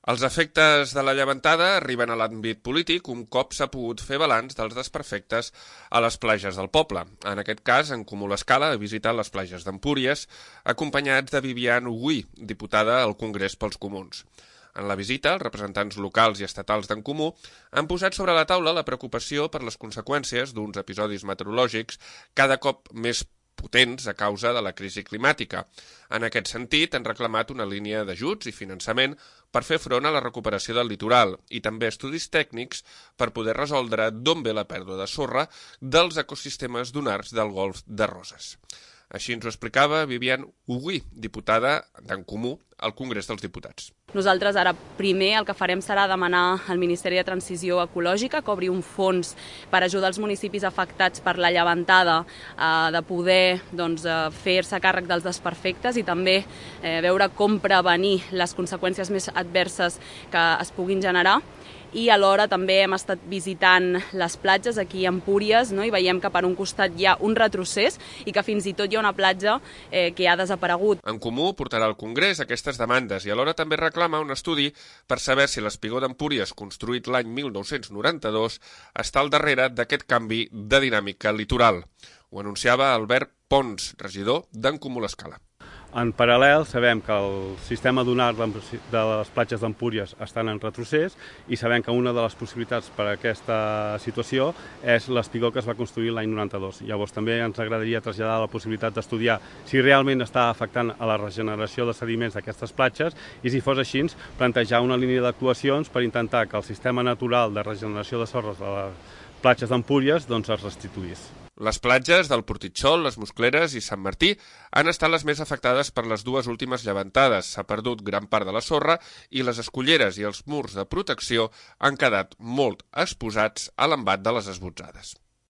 Els efectes de la llevantada arriben a l'àmbit polític un cop s'ha pogut fer balanç dels desperfectes a les platges del poble. En aquest cas, En Comú l'Escala ha visitat les platges d'Empúries, acompanyats de Viviane Ougui, diputada al Congrés pels Comuns. En la visita, els representants locals i estatals d'En Comú han posat sobre la taula la preocupació per les conseqüències d'uns episodis meteorològics cada cop més potents a causa de la crisi climàtica. En aquest sentit, han reclamat una línia d'ajuts i finançament per fer front a la recuperació del litoral i també estudis tècnics per poder resoldre d'on ve la pèrdua de sorra dels ecosistemes dunars del Golf de Roses. Així ens ho explicava Viviane Ougui, diputada d'En Comú al Congrés dels Diputats. Nosaltres ara primer el que farem serà demanar al Ministeri de Transició Ecològica que obri un fons per ajudar els municipis afectats per la llevantada de poder fer-se càrrec dels desperfectes i també veure com prevenir les conseqüències més adverses que es puguin generar. I alhora també hem estat visitant les platges aquí a Empúries, i veiem que per un costat hi ha un retrocés i que fins i tot hi ha una platja que ha desaparegut. En Comú portarà al Congrés aquestes demandes i alhora també reclama un estudi per saber si l'espigó d'Empúries, construït l'any 1992, està al darrere d'aquest canvi de dinàmica litoral. Ho anunciava Albert Pons, regidor d'En Comú l'Escala. En paral·lel, sabem que el sistema dunar de les platges d'Empúries estan en retrocés i sabem que una de les possibilitats per a aquesta situació és l'espigó que es va construir l'any 92. Llavors també ens agradaria traslladar la possibilitat d'estudiar si realment està afectant a la regeneració de sediments d'aquestes platges i si fos així, plantejar una línia d'actuacions per intentar que el sistema natural de regeneració de sorres de les platges d'Empúries es restituís. Les platges del Portitxol, les Muscleres i Sant Martí han estat les més afectades per les dues últimes llevantades. S'ha perdut gran part de la sorra i les esculleres i els murs de protecció han quedat molt exposats a l'embat de les esbotzades.